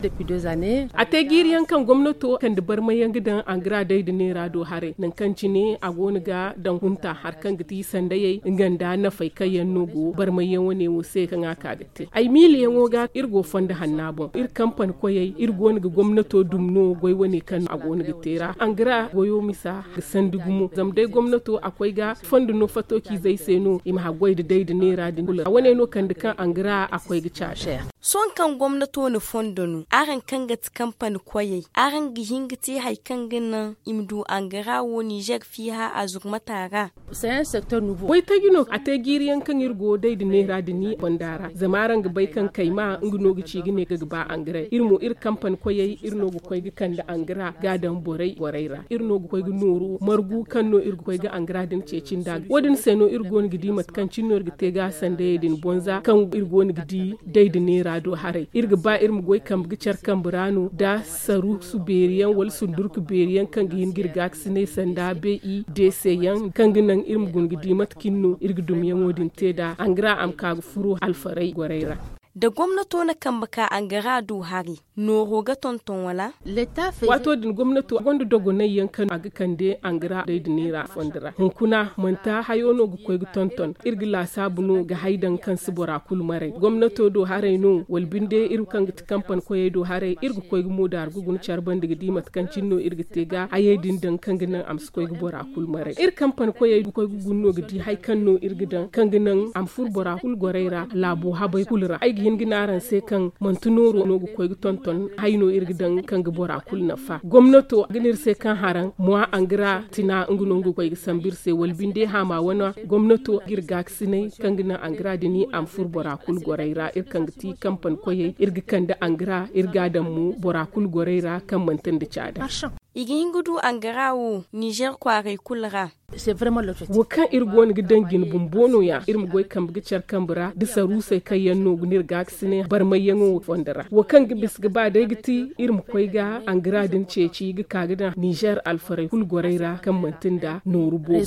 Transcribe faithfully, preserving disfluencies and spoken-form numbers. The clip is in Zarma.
A te jiiri yaŋ kaŋ gomnato kande barmay yaŋ ga daŋ angara day nda neera do haray nangu kaŋ cine a go no ga daŋ hunta hari kaŋ ga ti sandayey nga nda nafey kaŋ yaŋ no go barmay yaŋ wane wo se kaŋ a ka ga te ay miila yaŋo ga iri go fondo hanna boŋ iri kampani koyey iri go no ga gomnato dumi no goy wane kaŋ a go no ga te ra angara goyo misa ga sandi gumo zama day gomnato a koy ga fondo no fato ciizey se no i ma haggoy nda day nda neera din kulu ra wane no kande kaŋ angara a koy ga caase. Sohõ kaŋ gomnato na fondo no araŋ kaŋ ga ti kampani koyey araŋ ga hin ga te hari kaŋ ga naŋ i ma du angara wo nizer fiiha a zurmata ra? Goy taji no a te jiiri yaŋ kaŋ iri go day nda neera din fonda ra zama araŋ ga bay kaŋ kayma nga no ga ci ga ne ga ga ba angara iri mo iri kampani koyey iri no ga koy ga kande angara ga a daŋ borey borey ra iri no ga koy ga nooru margu kaŋ no iri ga koy ga angara din ceeci nda wo- din se no iri go no ga di mate kaŋ cine no iri ga te ga sandayey din bonza kaŋ iri go no ga di day nda neera do haray iri ga ba iri ma goy kambe ga care kambe ra no nda saruusu beeri yaŋ wala sundurku beeri yaŋ kaŋ ga hin ga iri gaakasinay sanda be i deese yaŋ kaŋ ga naŋ iri ma guna ga di mate cine no iri ga dumiyaŋo din te nd'a angara a ma ka ga furo alfaray gorey ra. Da gomnato na kambe ka angara du hari nooro ga tonton wala? Waato din gomnato gonda dogonay yaŋ kaŋ a ga kande angara day nda neera fondo ra hunkuna manti hayo no ga koy ga tonton iri ga laasaabu no ga hay daŋ kaŋ si bora kulu maray gomnato do haray no wala binde iri kaŋ ga ti kampani koyey do haray iri ga koy ga moodaari ga guna care banda ga di mate kaŋ cine no iri ga te ga hayey din daŋ kaŋ ga naŋ a ma si koy ga bora kulu maray iri kampani koyey ga koy ga guna no ga di hari kaŋ no iri ga daŋ kaŋ ga naŋ a ma furo bora kulu gorey ra laabo habey kulu ra ay ga hin ga ne araŋ se kaŋ manti nooro no ga koy ga tonton hari no iri ga daŋ kaŋ ga bora kulu nafa gomnato ga ne iri se kaŋ haraŋ mowa angara tina nga no nga ga koy ga sambu iri se wala binde haama wane gomnato ga iri gaakasinay kaŋ ga naŋ angara din a ma furo bora kulu gorey ra iri kaŋ ga ti kampani koyey iri ga kande angara iri ga a daŋ mo bora kulu gorey ra kaŋ manti nda caada. I ga hin ga du angara wo nizer kwaaray kulu ra. Wo kaŋ iri go no ga daŋ jine bumbo no- ya iri ma goy kambe ga care kambe ra da saruusey kaŋ yaŋ no ga ne iri gaakasinay barmayyaŋo fondo ra wo kaŋ ga bisa ga ba day ga ti iri ma koy ga angara din ceeci ga ka ga daŋ nizer alfaray kulu gorey ra kaŋ manti nda nooru boobo.